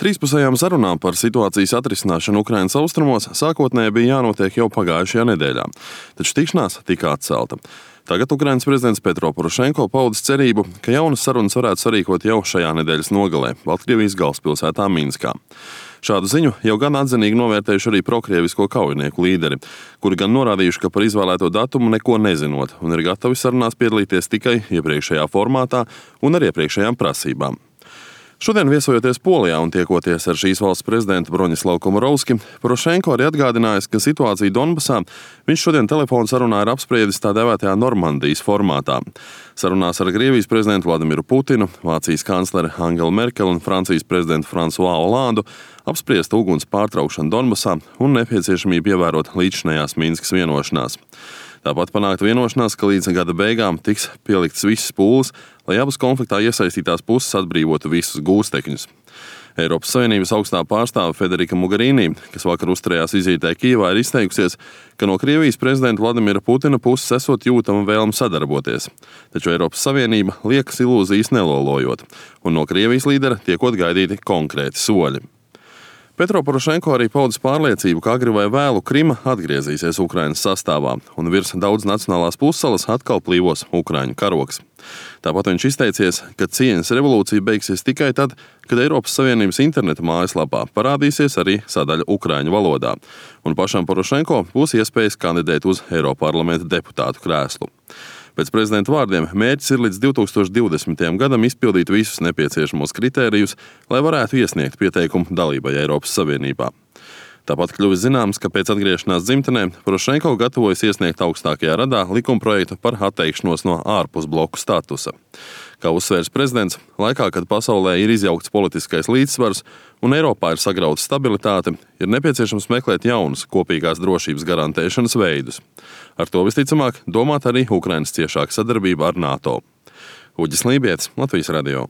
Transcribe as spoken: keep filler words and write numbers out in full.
Trīspusējām sarunām par situācijas atrisināšanu Ukrainas austrumos sākotnēji bija jānotiek jau pagājušajā nedēļā, taču tikšanās tika atcelta. Tagad Ukrainas prezidents Petro Porošenko paudis cerību, ka jaunas sarunas varētu sarīkot jau šajā nedēļas nogalē Baltkrievijas galvaspilsētā Minskā. Šādu ziņu jau gan atzinīgi novērtējuši arī prokrievisko kaujinieku līderi, kuri gan norādījuši, ka par izvēlēto datumu neko nezinot un ir gatavi sarunās piedalīties tikai iepriekšējā formātā un ar iepriekšējām prasībām. Šodien viesojoties Polijā un tiekoties ar šīs valsts prezidentu Broņislavu Komorovski, Porošenko arī atgādinājis, ka situāciju Donbasā viņš šodien telefonu sarunā ir apspriedis tā dēvētajā Normandijas formātā. Sarunās ar Krievijas prezidentu Vladimiru Putinu, Vācijas kancleri Angelu Merkeli un Francijas prezidentu Fransuā Olandu apspriesta uguns pārtraukšanu Donbasā un nepieciešamību ievērot līdzšinējās Minskas vienošanās. Tāpat panākt vienošanās, ka līdz gada beigām tiks pielikts visas pūles, lai abas konfliktā iesaistītās puses atbrīvotu visus gūstekņus. Eiropas Savienības augstā pārstāve Federika Mogherini, kas vakar uzturējās vizītē Kijevā, ir izteikusies, ka no Krievijas prezidenta Vladimira Putina puses esot jūtama vēlme sadarboties. Taču Eiropas Savienība liekas ilūzijas nelolojot, un no Krievijas līdera tiekot gaidīti konkrēti soļi. Petro Porošenko arī paudis pārliecību, ka agri vai vēlu Krima atgriezīsies Ukrainas sastāvā, un virs daudz nacionālās pussalas atkal plīvos Ukraiņu karogs. Tāpat viņš izteicies, ka cieņas revolūcija beigsies tikai tad, kad Eiropas Savienības interneta mājaslapā parādīsies arī sadaļa ukraiņu valodā, un pašam Porošenko būs iespējas kandidēt uz Eiroparlamenta deputātu krēslu. Pēc prezidenta vārdiem mērķis ir līdz divtūkstoš divdesmitajam gadam izpildīt visus nepieciešamos kritērijus, lai varētu iesniegt pieteikumu dalībai Eiropas Savienībā. Tāpat kļuvis zināms, ka pēc atgriešanās dzimtenē Porošenko gatavojas iesniegt augstākajā radā likumprojektu par atteikšanos no ārpusbloku statusa. Kā uzsvērs prezidents, laikā, kad pasaulē ir izjaukts politiskais līdzsvars un Eiropā ir sagrauta stabilitāte, ir nepieciešams meklēt jaunus kopīgās drošības garantēšanas veidus. Ar to visticamāk domāt arī Ukrainas ciešāka sadarbība ar NATO. Uģis Lībietis, Latvijas radio.